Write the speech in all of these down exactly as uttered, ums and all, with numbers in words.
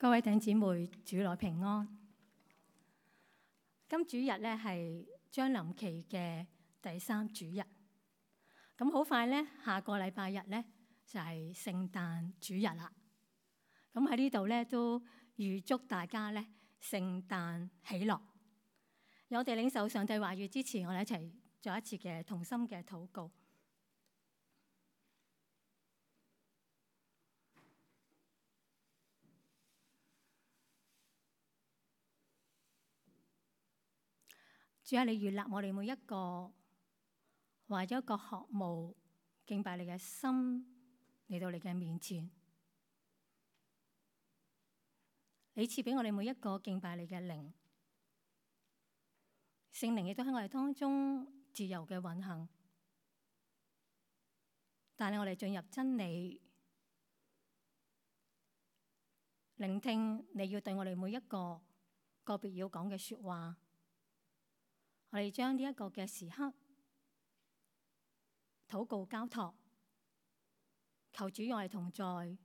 各位弟兄姊妹，主內平安。今主日咧係將臨期嘅第三主日，咁好快咧，下個禮拜日咧就係聖誕主日啦。咁喺呢度咧都預祝大家咧聖誕喜樂。有我哋領受上帝話語之前，我哋一齊做一次嘅同心嘅禱告。主啊，你悅納我哋每一個懷咗一個渴慕敬拜你嘅心嚟到你嘅面前，你賜俾我哋每一個敬拜你嘅靈，聖靈亦都喺我哋當中自由嘅運行，帶領我哋進入真理，聆聽你要對我哋每一個個別要講嘅說話。我哋將呢一個嘅時刻禱告交託，求主與我哋同在，悅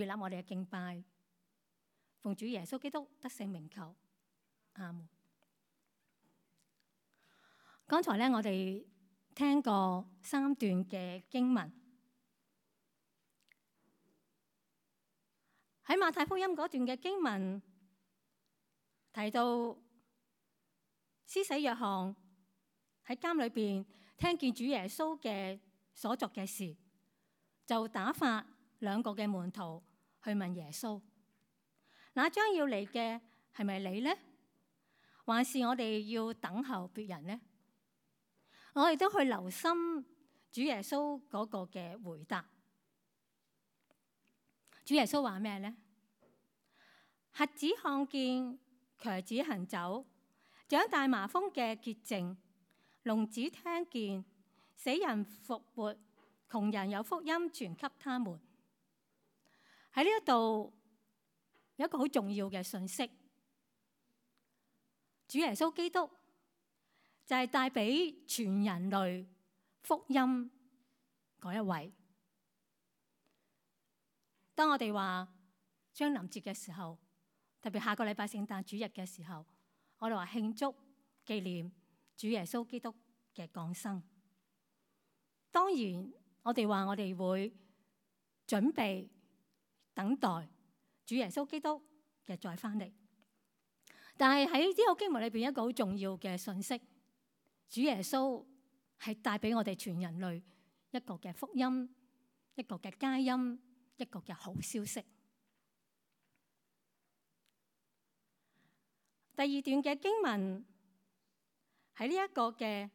納我哋嘅敬拜，奉主耶穌基督得勝名求，阿門。剛才咧，我哋聽過三段嘅經文，喺馬太福音嗰段嘅經文提到，施洗約翰喺監裏邊聽見主耶穌嘅所作嘅事，就打發兩個嘅門徒去問耶穌：那將要嚟嘅係咪你呢？還是我哋要等候別人呢？我哋都去留心主耶穌嗰個嘅回答。主耶穌話咩呢？瞎子看見，瘸子行走，長大麻風嘅潔淨，聾子聽見，死人復活，窮人有福音傳給他們。喺呢一度有一個好重要嘅信息，主耶穌基督就係帶俾全人類福音嗰一位。當我哋話將臨節嘅時候，特別下個禮拜聖誕主日嘅時候，我哋話慶祝紀念主耶穌基督嘅降生。當然，我哋話我哋會準備等待主耶穌基督嘅再翻嚟。但係喺呢個經文裏邊，一個好重要嘅信息，主耶穌係帶俾我哋全人類一個嘅福音，一個嘅佳音，一個嘅好消息。第二段嘅經文喺呢一個嘅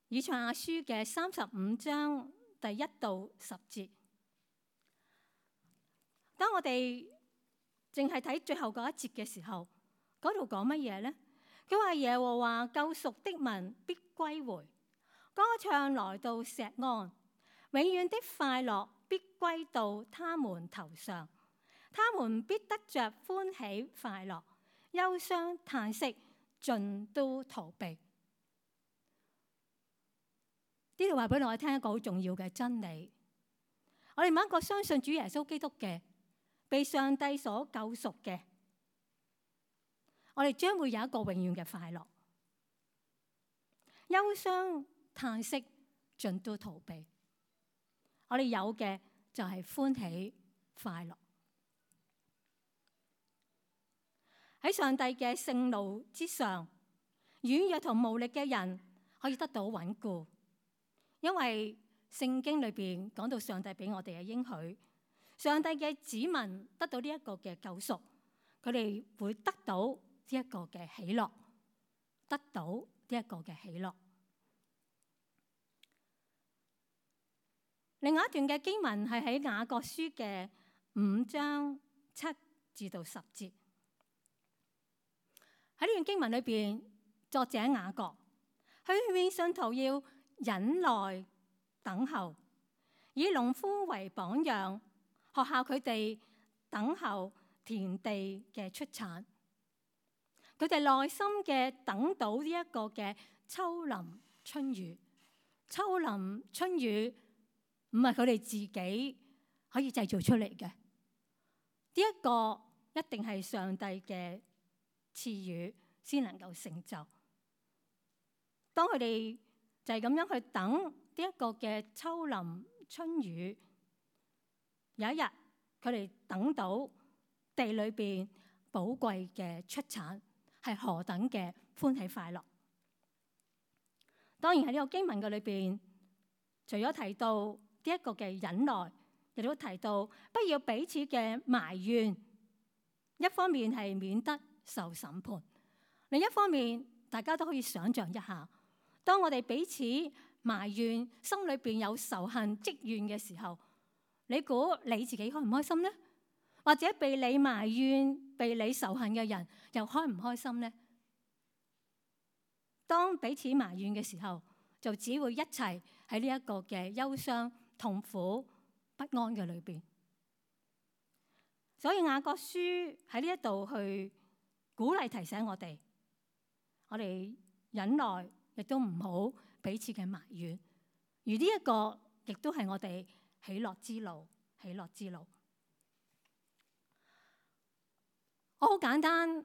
以賽亞書嘅三十五章第一到十節。當我哋淨係睇最後嗰一節嘅時候，嗰度講乜嘢呢？佢話耶和華救贖的民必歸回，歌唱來到錫安，永遠的快樂必歸到他們頭上，他們必得着歡喜快樂。憂傷嘆息盡都逃避。呢度話俾我哋聽一個好重要嘅真理，我哋每一個相信主耶穌基督嘅，被上帝所救贖嘅，我哋將會有一個永遠嘅快樂。憂傷嘆息盡都逃避，我哋有嘅就係歡喜快樂。喺上帝嘅聖路之上，軟弱同無力嘅人可以得到穩固，因為聖經裏邊講到上帝俾我哋嘅應許，上帝嘅子民得到呢一個嘅救贖，佢哋會得到呢一個嘅喜樂，得到呢一個嘅喜樂。另外一段嘅經文係喺雅各書嘅五章七至到十節。喺呢段經文裏邊，作者雅各佢勸信徒要忍耐等候，以農夫為榜樣，學效佢哋等候田地嘅出產。佢哋耐心嘅等到呢一個嘅秋霖春雨。秋霖春雨唔係佢哋自己可以製造出嚟嘅，一個一定係上帝嘅賜予先能夠成就。當佢哋就係咁樣去等呢一個嘅秋霖春雨，有一日佢哋等到地裏邊寶貴嘅出產，係何等嘅歡喜快樂。當然喺呢個經文嘅裏邊，除咗提到呢一個嘅忍耐，亦都提到不要彼此嘅埋怨。一方面係免得受審判，另一方面大家都可以想象一下，當我哋彼此埋怨，心裏邊有仇恨積怨嘅時候，你估你自己開唔開心呢？或者被你埋怨、被你仇恨嘅人又開唔開心呢？當彼此埋怨嘅時候，就只會一齊喺呢一個嘅憂傷、痛苦、不安嘅裏邊。所以雅各書喺呢一度去鼓勵提醒我哋，我哋忍耐，亦都唔好彼此嘅埋怨。而呢一個亦都係我哋喜樂之路，喜樂之路。我好簡單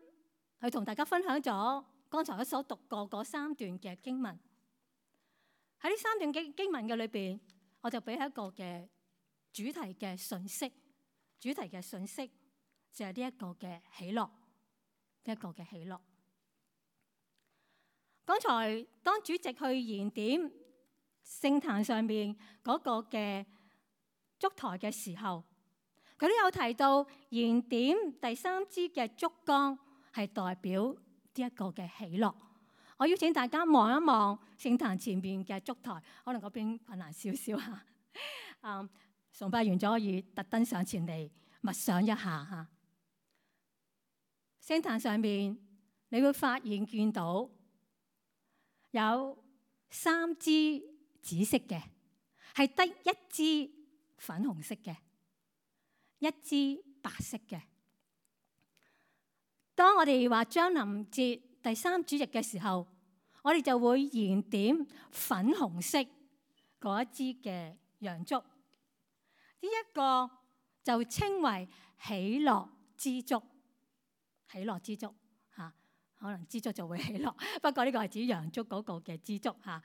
去同大家分享咗剛才我所讀過嗰三段嘅經文。喺呢三段經經文嘅裏邊，我就俾一個嘅主題嘅信息。主題嘅信息就係呢一個嘅喜樂，呢一個嘅喜樂。剛才當主席去燃點聖壇上面嗰個嘅燭台嘅時候，佢都有提到燃點第三支嘅燭光係代表呢一個嘅喜樂。我邀請大家望一望聖壇前面嘅燭台，可能嗰邊困難少少嚇。嗯。崇拜完咗，可以特登上前嚟默想一下嚇。聖壇上面，你會發現見到有三支紫色嘅，係得一支粉紅色嘅，一支白色嘅。當我哋話將臨節第三主日嘅時候，我哋就會燃點粉紅色嗰一支嘅洋燭。呢一個就稱為喜樂之燭，喜樂之燭嚇，可能之燭就會喜樂，不過呢個係指洋燭嗰個嘅之燭嚇。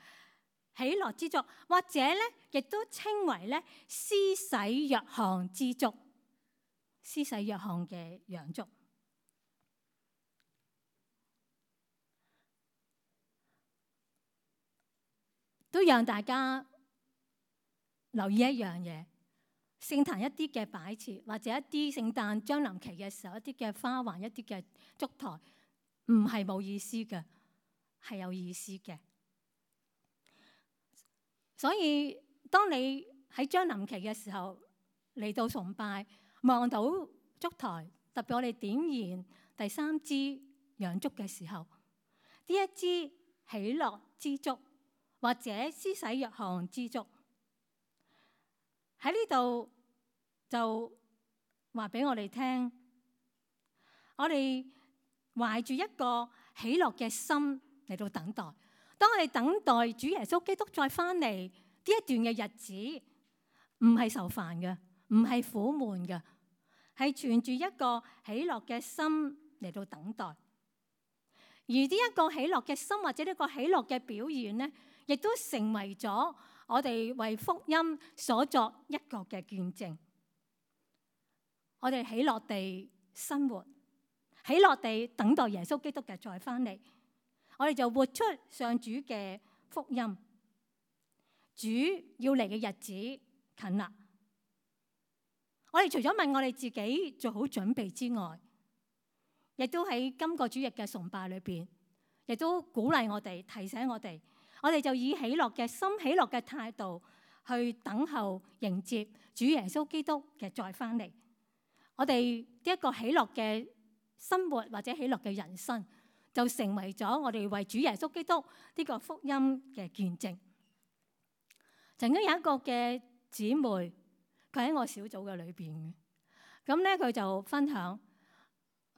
喜樂之燭，或者咧亦都稱為咧施洗約翰之燭，施洗約翰嘅洋燭。都讓大家留意一樣嘢。聖壇一啲嘅擺設，或者一啲聖誕將臨期嘅時候，一啲嘅花環，一啲嘅燭台，唔係冇意思嘅，係有意思嘅。所以當你喺將臨期嘅時候嚟到崇拜，望到燭台，特別我哋點燃第三支洋燭嘅時候，呢一支喜樂之燭，或者施洗約翰之燭，喺呢度就話俾我哋聽，我哋懷住一個喜樂嘅心嚟到等待。當我哋等待主耶穌基督再翻嚟呢一段嘅日子，唔係愁煩嘅，唔係苦悶嘅，係存住一個喜樂嘅心嚟到等待。而呢一個喜樂嘅心，或者呢個喜樂嘅表現呢，亦都成為咗我哋為福音所作一個嘅見證。我哋喜樂地生活，喜樂地等待耶穌基督嘅再翻嚟，我哋就活出上主嘅福音。主要嚟嘅日子近啦，我哋除咗問我哋自己做好準備之外，亦都喺今個主日嘅崇拜裏邊，亦都鼓勵我哋，提醒我哋，我哋就以喜樂嘅心、喜樂嘅態度去等候迎接主耶穌基督嘅再翻嚟。我哋呢一個喜樂嘅生活或者喜樂嘅人生，就成為咗我哋為主耶穌基督呢個福音嘅見證。曾經有一個嘅姊妹，佢喺我小組嘅裏邊嘅，咁咧佢就分享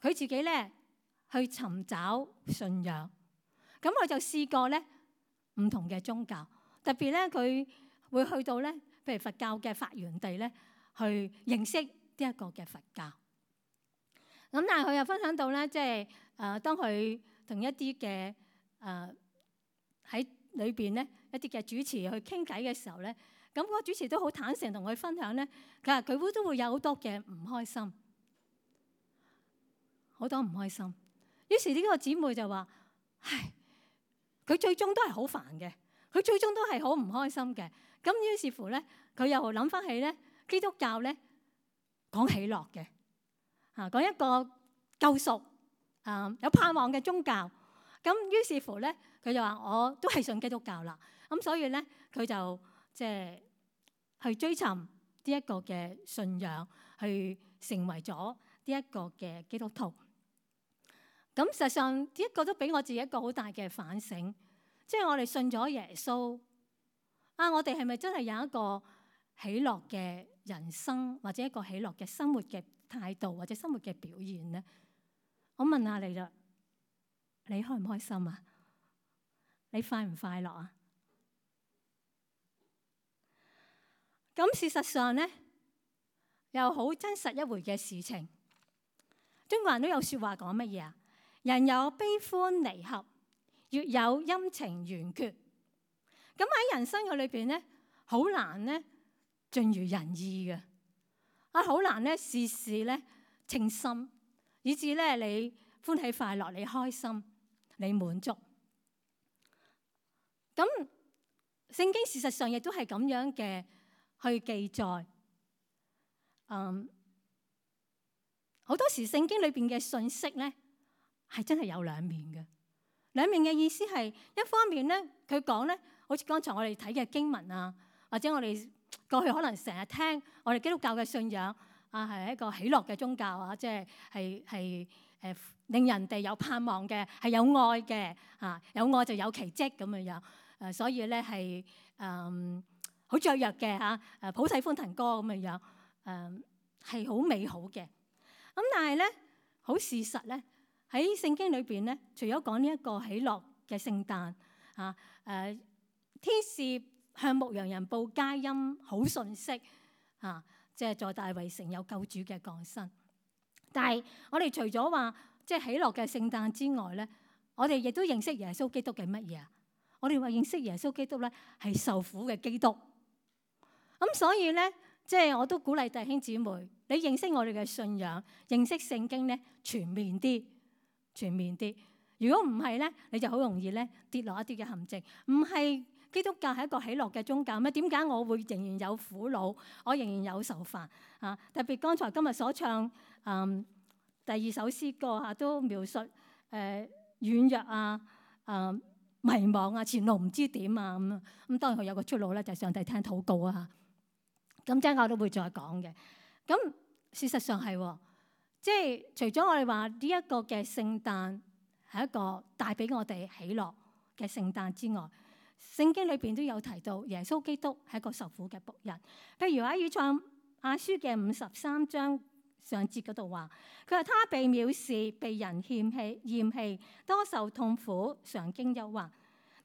佢自己咧去尋找信仰，咁佢就試過咧唔同嘅宗教，特別咧佢會去到咧，譬如佛教嘅發源地咧，去認識呢一個嘅佛教。咁但係佢又分享到咧，即係誒當佢同一啲嘅誒喺裏邊咧一啲嘅主持去傾偈嘅時候咧，咁嗰個主持都好坦誠同佢分享咧，佢話佢會都會有好多嘅唔開心，好多唔開心。於是呢個姊妹就話：唉，佢最終都係好煩嘅，佢最終都係好唔開心嘅。咁於是乎咧，佢又諗翻起咧基督教咧講喜樂嘅，啊講一個救贖啊有盼望嘅宗教。咁於是乎咧，佢就話我都係信基督教啦。咁所以咧，佢就即係去追尋呢一個嘅信仰，去成為咗呢一個嘅基督徒。咁實際上呢一個都俾我自己一個好大嘅反省，即係我哋信咗耶穌啊，我哋係咪真係有一個喜樂嘅人生，或者一個喜樂嘅生活嘅態度，或者生活嘅表現咧？我問下你啦，你開唔開心啊？你快唔快樂啊？咁事實上咧，又好真實一回嘅事情。中國人都有説話講乜嘢啊？人有悲歡離合，月有陰晴圓缺。咁喺人生嘅裏邊咧，好難咧盡如人意嘅，啊好難咧事事咧稱心，以至咧你歡喜快樂，你開心，你滿足。咁聖經事實上亦都係咁樣嘅去記載。嗯，好多時聖經裏邊嘅信息咧係真係有兩面嘅。兩面嘅意思係一方面咧，佢講咧，好似剛才我哋睇嘅經文啊，或者我哋過去可能成日聽我哋基督教嘅信仰啊，係一個喜樂嘅宗教啊，即係係係誒令人哋有盼望嘅，係有愛嘅啊，有愛就有奇蹟咁樣樣誒，所以咧係誒好雀躍嘅嚇誒，普世歡騰歌咁樣樣誒，係好美好嘅。咁但係咧，好事實咧。喺聖經裏邊咧，除咗講呢一個喜樂嘅聖誕啊，誒天使向牧羊人報佳音好信息啊，即係在大衛城有救主嘅降生。但係我哋除咗話即係喜樂嘅聖誕之外咧，我哋亦都認識耶穌基督嘅乜嘢啊？我哋話認識耶穌基督咧係受苦嘅基督。咁所以咧，即係我都鼓勵弟兄姊妹，你認識我哋嘅信仰，認識聖經咧全面啲。全面啲，如果唔係咧，你就好容易咧跌落一啲嘅陷阱。唔係基督教係一個喜樂嘅宗教咩？點解我會仍然有苦惱，我仍然有愁煩啊？特別剛才今日所唱嗯第二首詩歌嚇，都描述誒、呃、軟弱啊、誒、呃、迷茫啊、前路唔知點啊咁啊。咁當然佢有個出路咧，就係上帝聽禱告啊嚇。咁陣間我都會再講嘅。咁事實上係喎。即係除咗我哋話呢一個嘅聖誕係一個帶俾我哋喜樂嘅聖誕之外，聖經裏邊都有提到耶穌基督係一個受苦嘅僕人。譬如喺以賽亞書嘅五十三章上節嗰度話，佢話他被藐視，被人嫌棄，厭棄，多受痛苦，常經憂患。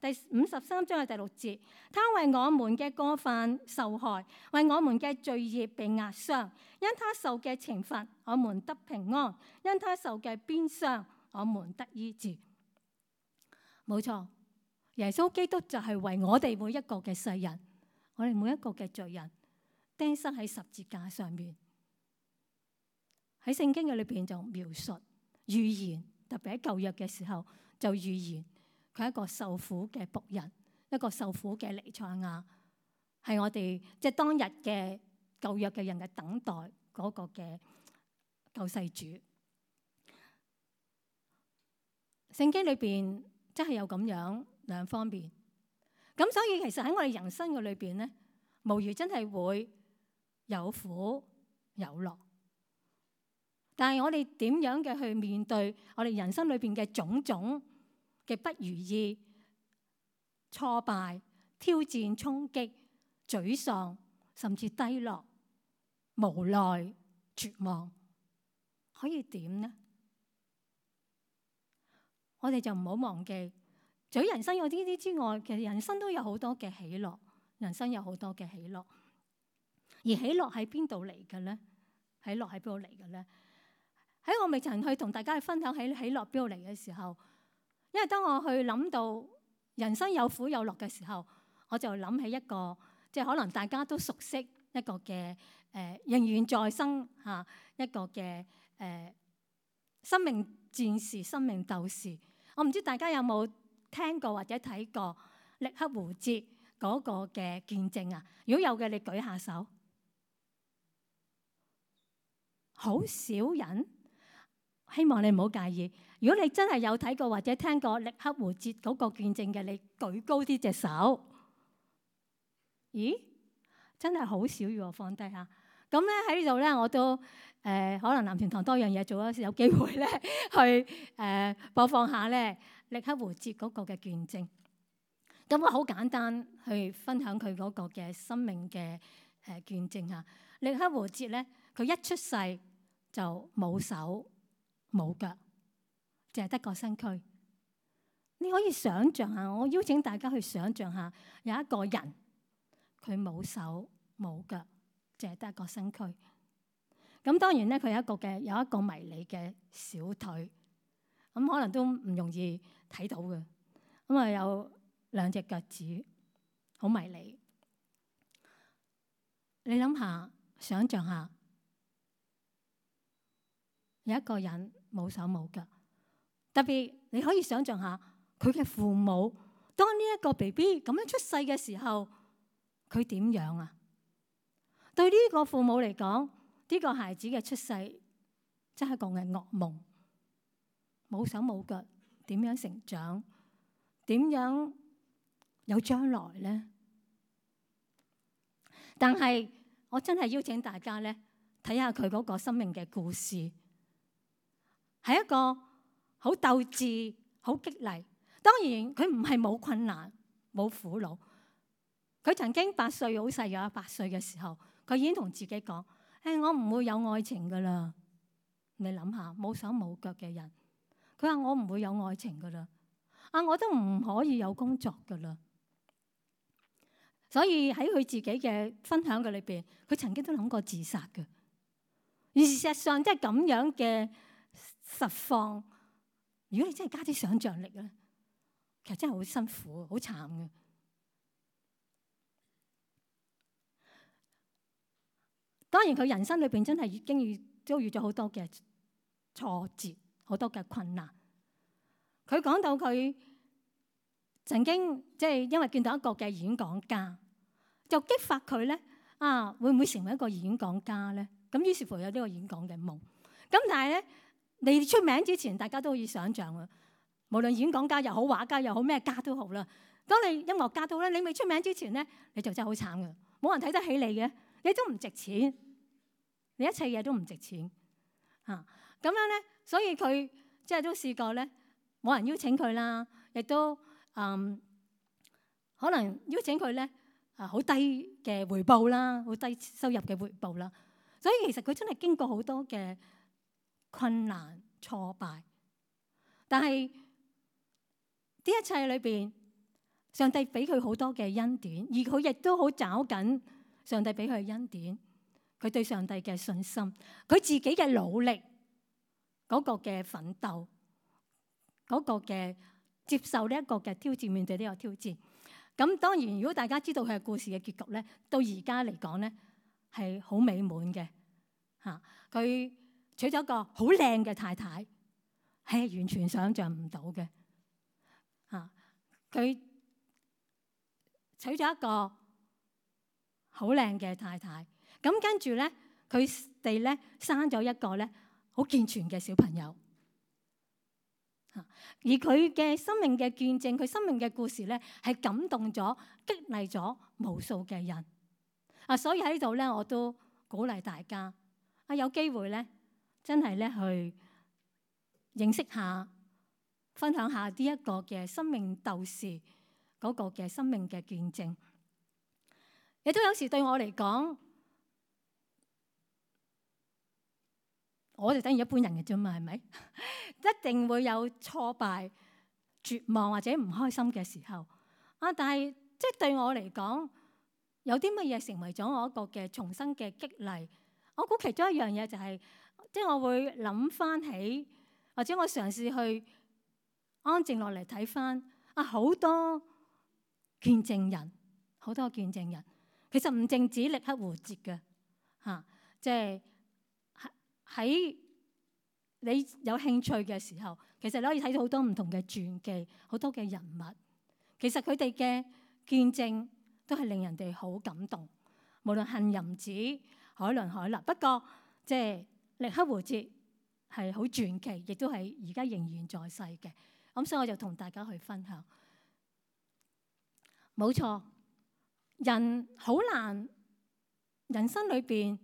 第五十三章嘅第六節，他為我們嘅過犯受害，為我們嘅罪孽被壓傷。因他受嘅懲罰，我們得平安；因他受嘅鞭傷，我們得醫治。冇錯，耶穌基督就係為我哋每一個嘅世人，我哋每一個嘅罪人釘身喺十字架上面。喺聖經嘅裏邊就描述預言，特別喺舊約嘅時候就預言。佢係一個受苦嘅僕人，一個受苦嘅彌賽亞，係我哋即係當日嘅舊約嘅人嘅等待嗰個嘅救世主。聖經裏邊真係有咁樣兩方面，咁所以其實喺我哋人生嘅裏邊咧，無疑真係會有苦有樂。但係我哋點樣嘅去面對我哋人生裏邊嘅種種嘅不如意、挫敗、挑戰、衝擊、沮喪，甚至低落、無奈、絕望，可以點呢？我哋就唔好忘記，除咗人生有呢啲之外，其實人生都有好多嘅喜樂，人生有好多嘅喜樂。而喜樂喺邊度嚟嘅咧？喜樂喺邊度嚟嘅咧？喺我未曾去同大家去分享起喜樂邊度嚟嘅時候，因為當我去諗到人生有苦有樂嘅時候，我就諗起一個即係可能大家都熟悉一個嘅誒、呃、仍然在生嚇、啊、一個嘅誒、呃、生命戰士、生命鬥士。我唔知大家有冇聽過或者睇過力克胡哲嗰個嘅見證啊？如果有嘅，你舉下手。好少人，希望你唔好介意。如果你真係有睇過或者聽過力克胡哲嗰個見證嘅，你舉高啲隻手。咦？真係好少要我放低下。咁咧喺呢度咧，我都誒、呃、可能男團堂多樣嘢做，有機會咧去誒、呃、播放下咧力克胡哲嗰個嘅見證。咁我好簡單去分享佢嗰個嘅生命嘅誒見證嚇。力克胡哲咧，佢一出世就冇手冇腳，淨係得個身軀。你可以想像下，我邀請大家去想像下，有一個人佢冇手冇腳，淨係得個身軀。咁當然咧，佢有一個嘅有一個迷你嘅小腿，咁可能都唔容易睇到嘅。咁啊有兩隻腳趾，好迷你。你諗下，想像下。有一個人冇手冇腳，特別你可以想象下佢嘅父母，當呢一個 B B 咁樣出世嘅時候，佢點樣啊？對呢個父母嚟講，呢個孩子嘅出世真係個嘅噩夢。冇手冇腳，點樣成長？點樣有將來呢？但係我真係邀請大家咧，睇下佢嗰個生命嘅故事。係一個好鬥志、好激勵。當然佢唔係冇困難、冇苦惱。佢曾經八歲好細嘅，八歲嘅時候，佢已經同自己講：誒，我唔會有愛情噶啦。你諗下，冇手冇腳嘅人，佢話我唔會有愛情噶啦。啊，我都唔可以有工作噶啦。所以喺佢自己嘅分享嘅裏邊，佢曾經都諗過自殺嘅。而事實上，即係咁樣嘅實況，如果你真係加啲想像力咧，其實真係好辛苦、好慘嘅。當然佢人生裏邊真係已經遇遭遇咗好多嘅挫折、好多嘅困難。佢講到佢曾經即係因為見到一個嘅演講家，就激發佢咧啊，會唔會成為一個演講家咧？咁於是乎有呢個演講嘅夢。咁但係咧，你出名之前，大家都可以想像啊。無論演講家又好，畫家又好，咩家都好啦。當你音樂家都好咧，你未出名之前咧，你就真係好慘嘅，冇人睇得起你嘅，你都唔值錢，你一切嘢都唔值錢啊。咁樣咧，所以佢即係都試過咧，冇人邀請佢啦，亦都嗯可能邀請佢咧啊好低嘅回報啦，好低收入嘅回報啦。所以其實佢真係經過好多嘅困難挫敗，但係呢一切裏邊，上帝俾佢好多嘅恩典，而佢亦都好找緊上帝俾佢嘅恩典。佢對上帝嘅信心，佢自己嘅努力，嗰個嘅奮鬥，嗰個嘅接受呢一個嘅挑戰，面對呢個挑戰。咁當然，如果大家知道佢嘅故事嘅結局咧，到而家嚟講咧係好美滿嘅嚇。佢娶咗一個好靚嘅太太，係完全想像唔到嘅嚇。佢娶咗一個好靚嘅太太，咁跟住咧，佢哋咧生咗一個咧好健全嘅小朋友嚇。而佢嘅生命嘅見證，佢生命嘅故事咧，係感動咗、激勵咗無數嘅人啊。所以喺呢度咧，我都鼓勵大家啊，有機會咧，真係咧去認識下、分享下呢一個嘅生命鬥士嗰個嘅生命嘅見證。亦都有時對我嚟講，我哋等於一般人嘅啫嘛，係咪？一定會有挫敗、絕望或者唔開心嘅時候啊！但係即係對我嚟講，有啲乜嘢成為咗我一個嘅重生嘅激勵？我估其中一樣嘢就係即係我會諗翻起，或者我嘗試去安靜落嚟睇翻啊，好多見證人，好多見證人，其實唔淨止力克胡哲嘅嚇，即係喺你有興趣嘅時候，其實你可以睇到好多唔同嘅傳記，好多嘅人物，其實佢哋嘅見證都係令人哋好感動。無論杏林子、海倫海勒，不過即係力克胡哲係好傳奇，亦都係而家仍然在世嘅。咁所以我就同大家去分享。冇錯，人好難，人生裏邊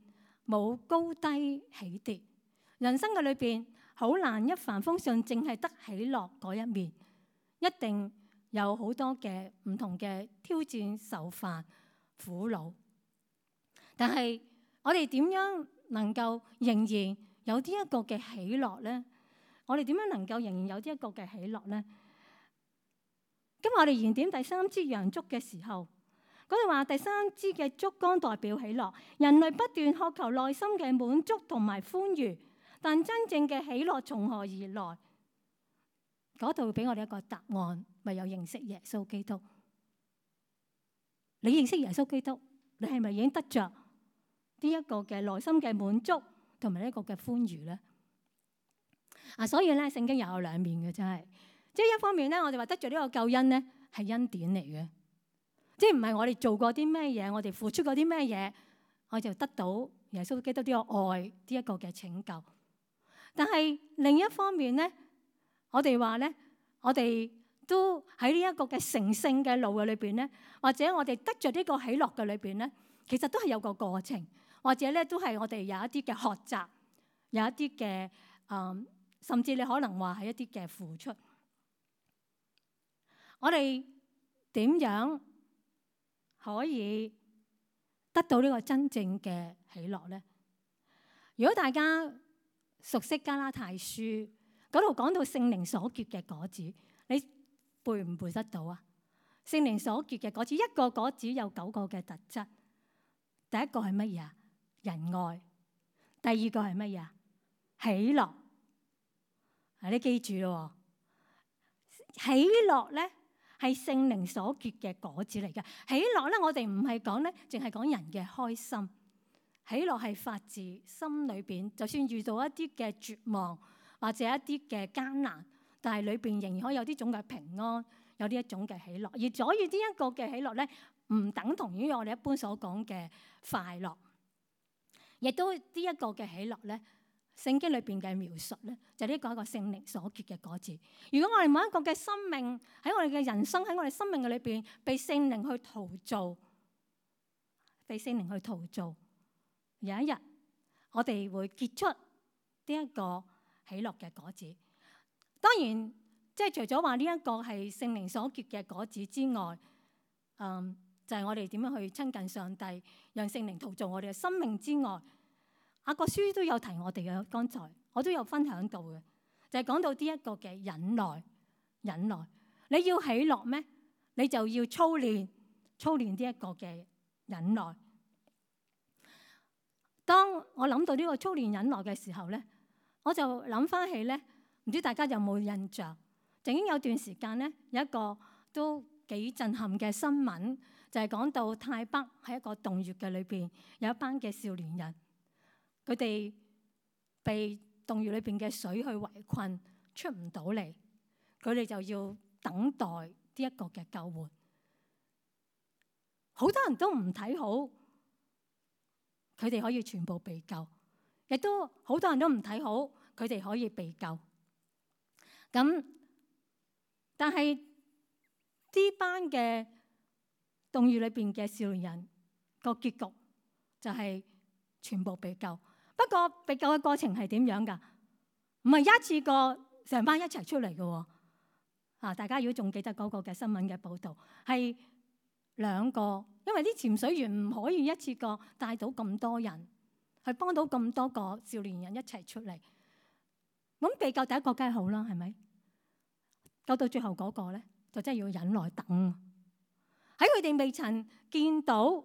冇高低起跌，人生嘅裏邊好難一帆風順，淨係得喜樂嗰一面，一定有好多嘅唔同嘅挑戰、受煩、苦惱。但係我哋點樣能夠仍然有呢一個嘅喜樂咧？我哋點樣能夠仍然有呢一個嘅喜樂咧？今日我哋燃點第三支洋燭嘅時候，嗰度話第三支嘅燭光代表喜樂，人類不斷渴求內心嘅滿足同埋歡愉，但真正嘅喜樂從何而來？嗰度俾我哋一個答案，唯有認識耶穌基督。你認識耶穌基督，你係咪已經得着呢一個嘅內心嘅滿足同埋呢一個嘅歡愉咧？啊，所以咧聖經又有兩面嘅，真係，即係一方面咧，我哋話得着呢個救恩咧係恩典嚟嘅，即係唔係我哋做過啲咩嘢，我哋付出過啲咩嘢，我就得到耶穌基督呢個愛呢一個嘅拯救。但係另一方面咧，我哋話咧，我哋都喺呢一個嘅成聖嘅路嘅裏邊咧，或者我哋得着呢個喜樂嘅裏邊咧，其實都係有個過程。或者咧，都係我哋有一啲嘅學習，有一啲嘅誒，甚至你可能話係一啲嘅付出。我哋點樣可以得到呢個真正嘅喜樂咧？如果大家熟悉加拉太書嗰度講到聖靈所結嘅果子，你背唔背得到啊？聖靈所結嘅果子，一個果子有九個嘅特質。第一個係乜嘢啊？仁愛。第二個係乜嘢啊？喜樂。啊，你記住咯，喜樂咧係聖靈所結嘅果子嚟嘅。喜樂咧，我哋唔係講咧，淨係講人嘅開心。喜樂係發自心裏邊，就算遇到一啲嘅絕望或者一啲嘅艱難，但係裏邊仍然可以有呢種嘅平安，有呢一種嘅喜樂。而所以呢一個嘅喜樂咧，唔等同於我哋一般所講嘅快樂。亦都呢一個嘅喜樂咧，聖經裏邊嘅描述咧，就呢個一個聖靈所結嘅果子。如果我哋每一個嘅生命喺我哋嘅人生喺我哋生命嘅裏邊被聖靈去陶造，被聖靈去陶造，有一日我哋會結出呢一個喜樂嘅果子。當然，即係除咗話呢一個係聖靈所結嘅果子之外，嗯。就係我哋點樣去親近上帝，讓聖靈陶造我哋嘅生命之外，雅各書都有提我哋嘅。剛才我都有分享到嘅，就係講到呢一個嘅忍耐。忍耐，你要喜樂咩？你就要操練，操練呢一個嘅忍耐。當我諗到呢個操練忍耐嘅時候咧，我就諗翻起咧，唔知大家有冇印象？曾經有段時間咧，有一個都幾震撼嘅新聞。就係講到泰北喺一個洞穴嘅裏邊，有一班嘅少年人，佢哋被洞穴裏邊嘅水去圍困，出唔到嚟，佢哋就要等待呢一個嘅救援。好多人都唔睇好佢哋可以全部被救，亦都好多人都唔睇好佢哋可以被救。咁但係呢班嘅洞穴裏邊嘅少年人個結局就係全部被救。不過被救嘅過程係點樣㗎？唔係一次過成班一齊出嚟嘅喎。啊，大家如果仲記得嗰個嘅新聞嘅報導，係兩個，因為啲潛水員唔可以一次過帶到咁多人去幫到咁多個少年人一齊出嚟。咁被救第一個梗係好啦，係咪？救到最後嗰個咧，就真係要忍耐等。喺佢哋未曾見到，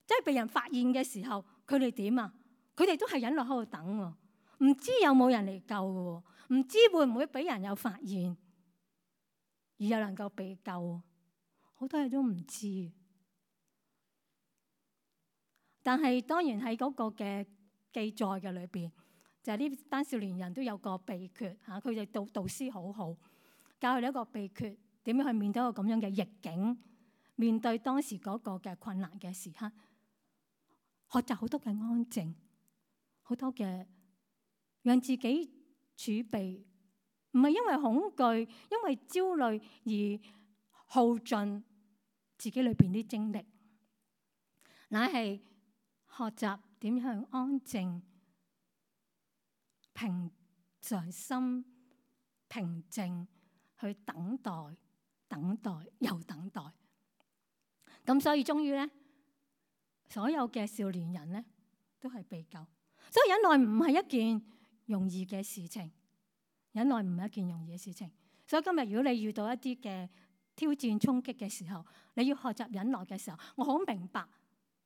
即係被人發現嘅時候，佢哋點啊？佢哋都係忍耐喺度等喎。唔知有冇人嚟救嘅，唔知會唔會俾人有發現而又能夠被救，好多嘢都唔知。但係當然喺嗰個嘅記載嘅裏邊，就係呢班少年人都有個秘訣嚇，佢哋導導師好好，教佢哋一個秘訣，點樣去面對一個咁樣嘅逆境，面對當時嗰個嘅困難嘅時刻，學習好多嘅安靜，好多嘅讓自己儲備，唔係因為恐懼、因為焦慮而耗盡自己裏邊啲精力，乃係學習點樣安靜、平常心、平靜去等待、等待又等待。咁所以終於咧，所有嘅少年人咧都係被救。所以忍耐唔係一件容易嘅事情，忍耐唔係一件容易嘅事情。所以今日如果你遇到一啲嘅挑戰衝擊嘅時候，你要學習忍耐嘅時候，我好明白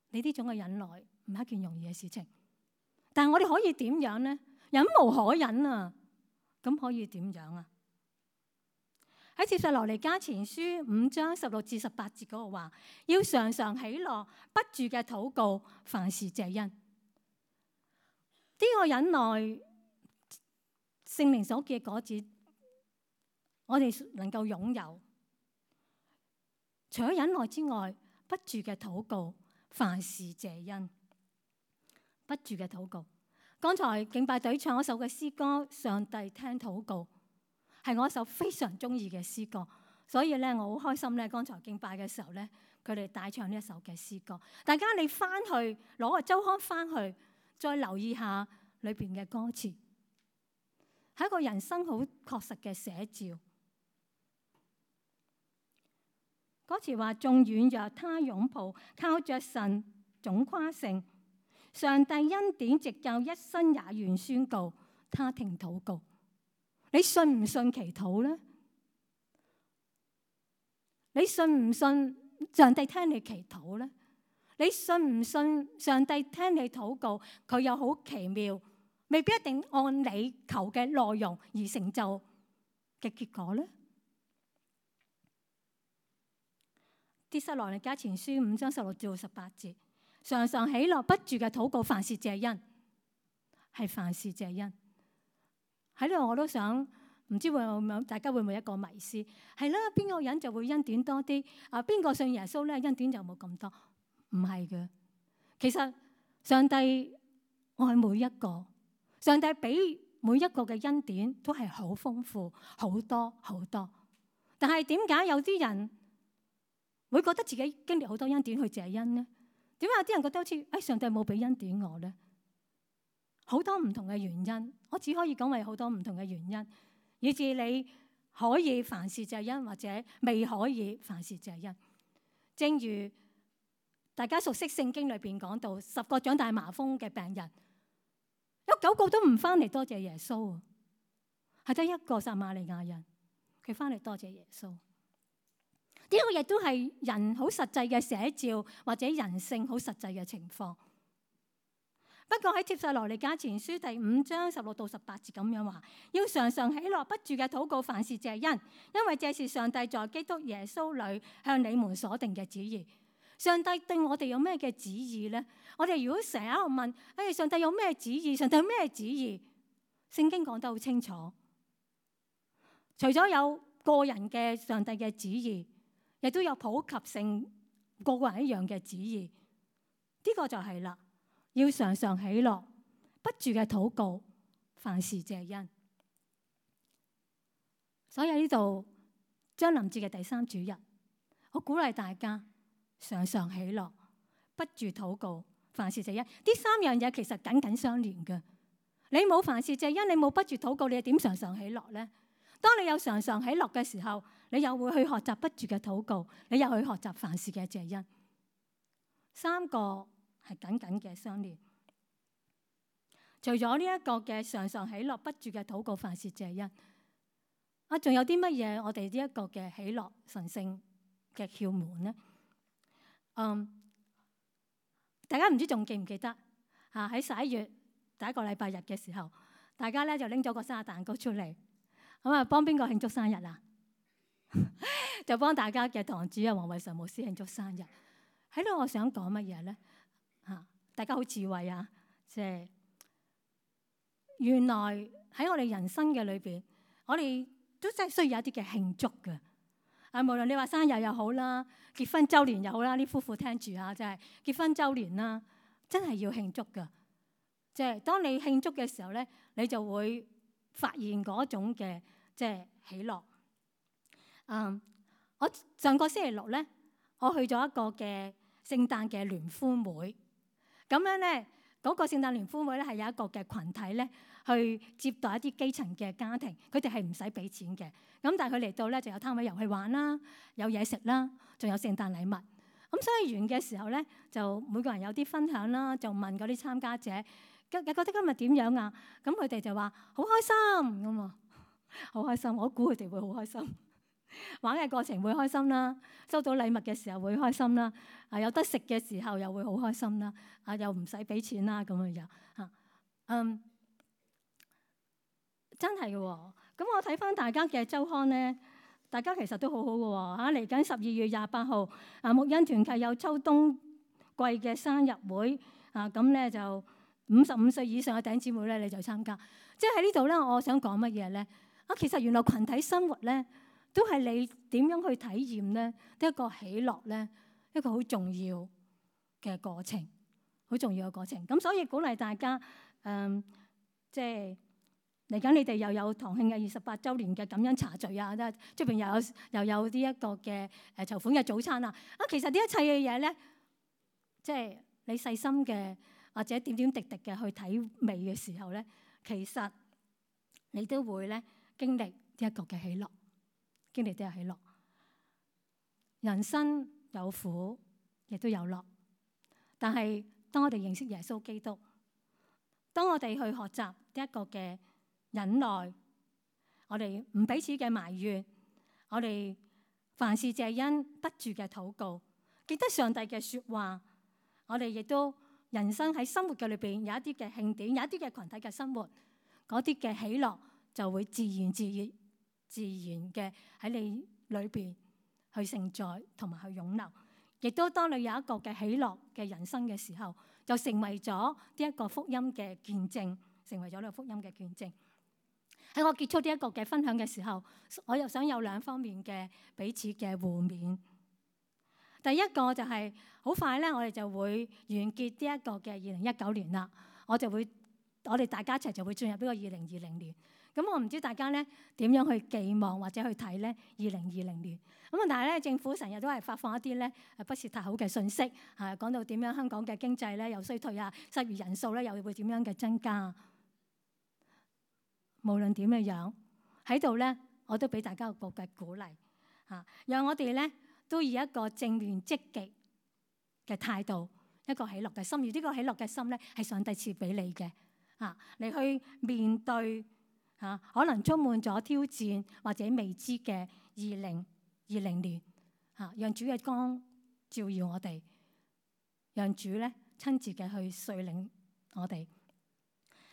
你呢種嘅忍耐唔係一件容易嘅事情。但係我哋可以點樣呢？忍無可忍啊！咁可以點樣啊？喺帖撒羅尼迦前書五章十六至十八節嗰度話，要常常喜樂，不住嘅禱告，凡事謝恩。呢、這個忍耐，聖靈所結嘅果子，我哋能夠擁有。除咗忍耐之外，不住嘅禱告，凡事謝恩。不住嘅禱告。剛才敬拜隊唱一首嘅詩歌《上帝聽禱告》，係我一首非常中意嘅詩歌，所以咧我好開心咧。剛才敬拜嘅時候咧，佢哋帶唱呢一首嘅詩歌。大家你翻去攞個周刊翻去，再留意下裏邊嘅歌詞，係一個人生好確實嘅寫照。歌詞話：縱軟弱他擁抱，靠着神總誇勝。上帝恩典直教一生也願宣告，他聽禱告。你信唔信祈禱呢？你信唔信上帝聽你祈禱呢？你信唔信上帝聽你禱告，佢有好奇妙，未必一定按你求嘅內容而成就嘅結果呢？帖撒羅尼迦前書五章十六至十八節。常常喜樂，不住嘅禱告，凡事謝恩，係凡事謝恩。喺呢度我都想，唔知會唔會大家會唔會一個迷思？係啦，邊個人就會恩典多啲？啊，邊個信耶穌咧，恩典就冇咁多？唔係嘅，其實上帝愛每一個，上帝俾每一個嘅恩典都係好豐富，好多好多。但係點解有啲人會覺得自己經歷好多恩典去謝恩呢？點解有啲人覺得好似誒上帝冇俾恩典我咧？好多唔同嘅原因，我只可以講為好多唔同嘅原因，以至你可以凡事謝恩，或者未可以凡事謝恩。正如大家熟悉聖經裏邊講到，十個長大麻風嘅病人，有九個都唔翻嚟多謝耶穌，係得一個撒瑪利亞人，佢翻嚟多謝耶穌。呢個亦都係人好實際嘅寫照，或者人性好實際嘅情況。不過喺帖撒羅尼迦前書第五章十六到十八節咁樣話，要常常喜樂，不住嘅禱告，凡事謝恩，因為這是上帝在基督耶穌裏向你們所定嘅旨意。上帝對我哋有咩嘅旨意呢？我哋如果成日喺度問，哎，上帝有咩旨意？上帝有咩旨意？聖經講得好清楚，除咗有個人嘅上帝嘅旨意，亦都有普及性，個個人一樣嘅旨意。呢個就係啦，要常常喜樂，不住嘅禱告，凡事謝恩。所以呢度將臨節嘅第三主日，我鼓勵大家常常喜樂，不住禱告，凡事謝恩。呢三樣嘢其實緊緊相連嘅。你冇凡事謝恩，你冇不住禱告，你點常常喜樂呢？當你有常常喜樂嘅時候，你又會去學習不住嘅禱告，你又去學習凡事嘅謝恩。三個係緊緊嘅相連。除咗呢一個嘅常常喜樂、不住嘅禱告、凡事謝恩，啊，仲有啲乜嘢我哋呢一個嘅喜樂神聖嘅竅門呢？嗯，大家唔知仲記唔記得啊？喺十一月第一個禮拜日嘅時候，大家咧就拎咗個生日蛋糕出嚟，咁啊幫邊個慶祝生日啊？就幫大家嘅堂主啊黃偉常牧師慶祝生日。喺度我想講乜嘢咧？嚇，大家好智慧啊！即係原來喺我哋人生嘅裏邊，我哋都真係需要一啲嘅慶祝嘅。啊，無論你話生日又好啦，結婚週年又好啦，啲夫婦聽住啊，就係結婚週年啦，真係要慶祝㗎。即係當你慶祝嘅時候咧，你就會發現嗰種嘅即係喜樂。嗯，我上個星期六咧，我去咗一個嘅聖誕嘅聯歡會，咁樣咧嗰個聖誕聯歡會咧係有一個嘅羣體咧去接待一啲基層嘅家庭，佢哋係唔使俾錢嘅，咁但係佢嚟到咧就有攤位遊戲玩啦，有嘢食啦，仲有聖誕禮物。咁所以完嘅時候咧，就每個人有啲分享啦，就問嗰啲參加者，覺覺得今日點樣啊？咁佢哋就話好開心咁啊，好開心！我估佢哋會好開心。玩嘅過程會開心啦，收到禮物嘅時候會開心啦，啊有得食嘅時候又會好開心啦，啊又唔使俾錢啦咁樣樣嚇，嗯，真係嘅喎。咁我睇翻大家嘅週刊咧，大家其實都好好嘅喎嚇。嚟緊十二月廿八號啊，牧恩團契有秋冬季嘅生日會啊，咁咧就五十五歲以上嘅弟兄姊妹咧你就參加。即係喺呢度咧，我想講乜嘢咧？啊，其實原來群體生活咧，都係你點樣去體驗咧？一個喜樂咧，一個好重要嘅過程，好重要嘅過程。咁所以鼓勵大家，嗯，即係嚟緊你哋又有堂慶嘅二十八週年嘅感恩茶聚啊，出邊又有又有呢一個嘅誒籌款嘅早餐啊。啊，其實呢一切嘅嘢咧，即係你細心嘅或者點點滴滴嘅去體味嘅時候咧，其實你都會咧經歷呢一個嘅喜樂。經歷都有喜樂，人生有苦，亦都有樂。但係當我哋認識耶穌基督，當我哋去學習呢一個嘅忍耐，我哋唔彼此嘅埋怨，我哋凡事謝恩得住嘅禱告，記得上帝嘅説話，我哋亦都人生喺生活嘅裏邊有一啲嘅慶典，有一啲嘅群體嘅生活，嗰啲嘅喜樂就會自然自然。自然嘅喺你裏邊去承載同埋去湧流，亦都當你有一個嘅喜樂嘅人生嘅時候，就成為咗呢一個福音嘅見證，成為咗呢個福音嘅見證。喺我結束呢一個嘅分享嘅時候，我又想有兩方面嘅彼此嘅互勉。第一個就係、是、好快咧，我哋就會完結呢一個嘅二零一九年啦。我就會我哋大家一齊就會進入呢個二零二零年。咁我唔知大家咧點樣去寄望或者去睇咧二零二零年。咁啊，但係咧政府成日都係發放一啲咧不是太好嘅信息，係講到點樣香港嘅經濟咧又衰退啊，失業人數咧又會點樣嘅增加。無論點嘅樣喺度咧，我都俾大家個嘅鼓勵嚇，讓我哋咧都以一個正面積極嘅態度，一個喜樂嘅心。而呢個喜樂嘅心咧係上帝賜俾你嘅嚇，你去面對。嚇，可能充滿咗挑戰或者未知嘅二零二零年嚇，讓主嘅光照耀我哋，讓主咧親自嘅去率領我哋。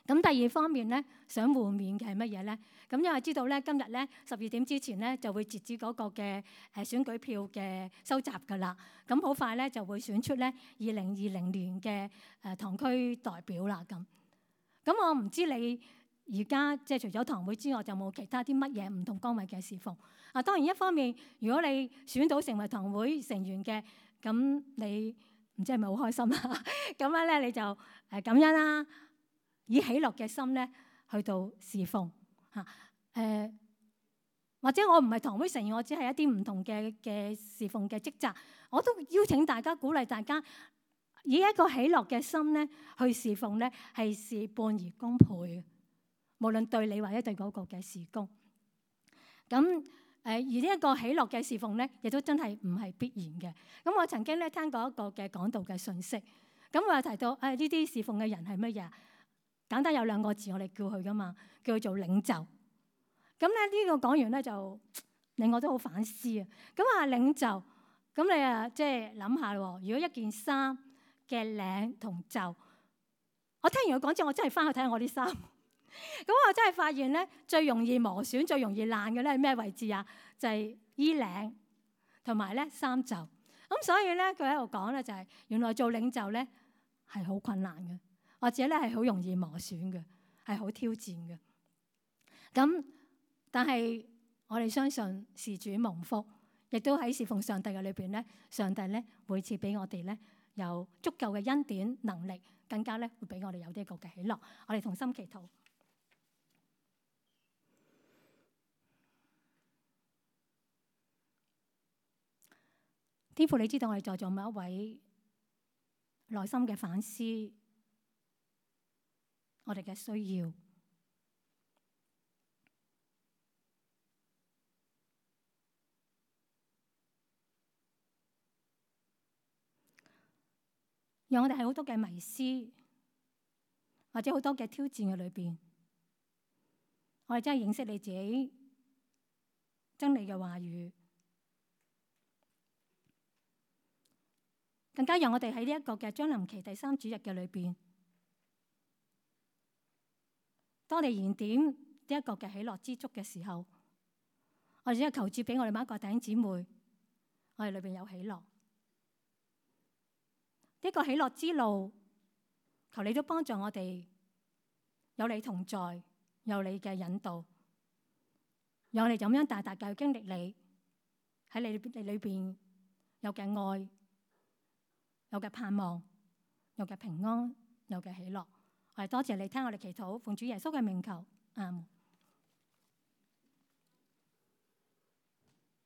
咁第二方面咧，想互勉嘅係乜嘢咧？咁因為知道咧，今日咧十二點之前咧就會截止嗰個嘅誒選舉票嘅收集㗎啦。咁好快咧就會選出咧二零二零年嘅誒堂區代表啦。咁咁我唔知你。而家即係除咗堂會之外，就冇其他啲乜嘢唔同崗位嘅侍奉。啊，當然一方面，如果你選到成為堂會成員嘅，咁你唔知係咪好開心啦？咁樣咧，你就誒感恩啦，以喜樂嘅心咧去到侍奉嚇。誒或者我唔係堂會成員，我只係一啲唔同嘅嘅侍奉嘅職責，我都邀請大家鼓勵大家以一個喜樂嘅心咧去侍奉咧，係事半而功倍。無論對你或者對嗰個嘅事工，咁誒而呢一個喜樂嘅侍奉咧，亦都真係唔係必然嘅。咁我曾經咧聽過一個嘅講道嘅信息，咁我又提到誒呢啲侍奉嘅人係乜嘢？簡單有兩個字，我哋叫佢噶嘛，叫佢做領袖。咁咧呢個講完咧就令我都好反思啊。咁啊領袖，咁你啊即係諗下喎，如果一件衫嘅領同袖，我聽完佢講之後，我真係翻去睇下我啲衫。咁我真係發現咧，最容易磨損、最容易爛嘅咧係咩位置啊？就係衣領同埋咧衫袖。咁所以咧，佢喺度講咧就係原來做領袖咧係好困難嘅，或者咧係好容易磨損嘅，係好挑戰嘅。咁但係我哋相信事主蒙福，亦都喺侍奉上帝嘅裏邊咧，上帝咧會賜俾我哋咧有足夠嘅恩典能力，更加咧會俾我哋有呢一個嘅喜樂。我哋同心祈禱。天父，你知道我哋在座每一位內心嘅反思，我哋嘅需要，讓我哋喺好多嘅迷思或者好多嘅挑戰嘅裏邊，我哋真係認識你自己真理嘅話語，更加讓我哋喺呢一個嘅將臨期第三主日嘅裏邊，當你燃點呢一個嘅喜樂之足嘅時候，我哋只係求主俾我哋每一個弟兄姊妹，我哋裏邊有喜樂。呢個喜樂之路，求你都幫助我哋有你同在，有你嘅引導，讓我哋咁樣大大嘅去經歷你喺你你裏邊有嘅愛，有嘅盼望，有嘅平安，有嘅喜樂。我哋多謝你聽我哋祈禱，奉主耶穌嘅名求，阿門。